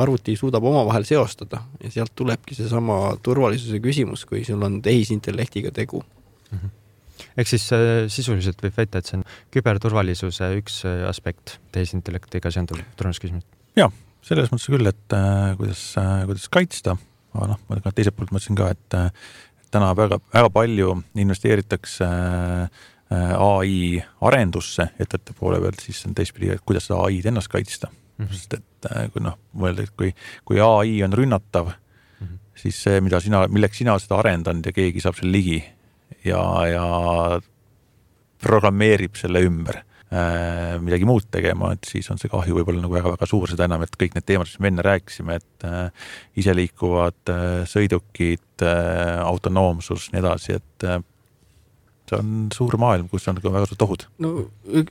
arvuti suudab omavahel seostada ja sealt tulebki see sama turvalisuse küsimus, kui sul on tehisintellektiga tegu. Mm-hmm. Ehk siis sisuliselt võib väita, et see on küberturvalisuse üks aspekt tehisintellektiga seonduv turvalisusküsimus. Jah, selles mõttes küll, et äh, kuidas, äh, kuidas kaitsta, aga noh, ma teiselt poolt mõtlesin ka, et äh, täna väga, väga palju investeeritakse äh, A I arendusse ettevõtte poole pealt, siis on teistpidi, et kuidas seda A I-d ennast kaitsta. Mm-hmm. Sest et kui noh, mõelda, et kui, kui A I on rünnatav, mm-hmm. siis see, mida sina, milleks sina seda arendanud ja keegi saab selle ligi ja, ja programmeerib selle ümber äh, midagi muud tegema, et siis on see kahju võib-olla nagu väga-väga suur, seda enam, et kõik need teemad, mis me enne rääkisime, et äh, iseliikuvad äh, sõidukid, äh, autonoomsus, nii edasi, et äh, see on suur maailm, kus on väga suured ohud. No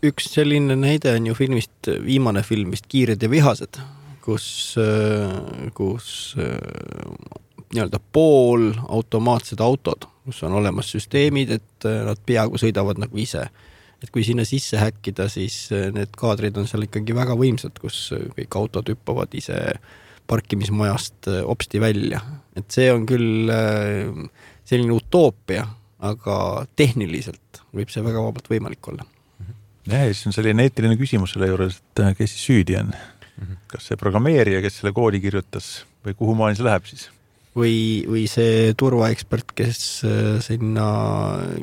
üks selline näide on ju filmist, viimane filmist Kiired ja vihased, kus, kus nii-öelda pool automaatsed autod, kus on olemas süsteemid, et nad peaaegu sõidavad nagu ise. Et kui sinna sisse häkkida, siis need kaadrid on seal ikkagi väga võimsad, kus kõik autod hüppavad ise parkimismajast opsti välja. Et see on küll selline utoopia, aga tehniliselt võib see väga vabalt võimalik olla. Ja, siis on selline eetiline küsimus selle juures, et kes siis süüdi on? Kas see programmeerija, kes selle koodi kirjutas või kuhu maani see läheb siis? Või, või see turvaekspert, kes sinna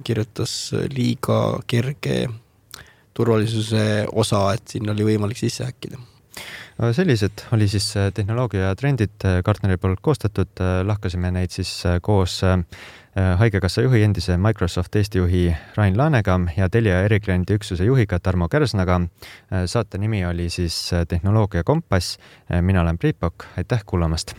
kirjutas liiga kerge turvalisuse osa, et sinna oli võimalik sisse häkkida. Sellised oli siis tehnoloogia trendid Gartneri poolt koostatud. Lahkasime neid siis koos Haigekassa juhi endise Microsoft Eesti juhi Rain Laanega ja Telia erikliendi üksuse juhiga Tarmo Kärsnaga. Saate nimi oli siis Tehnoloogia Kompass. Mina olen Priit Pokk. Aitäh kuulamast!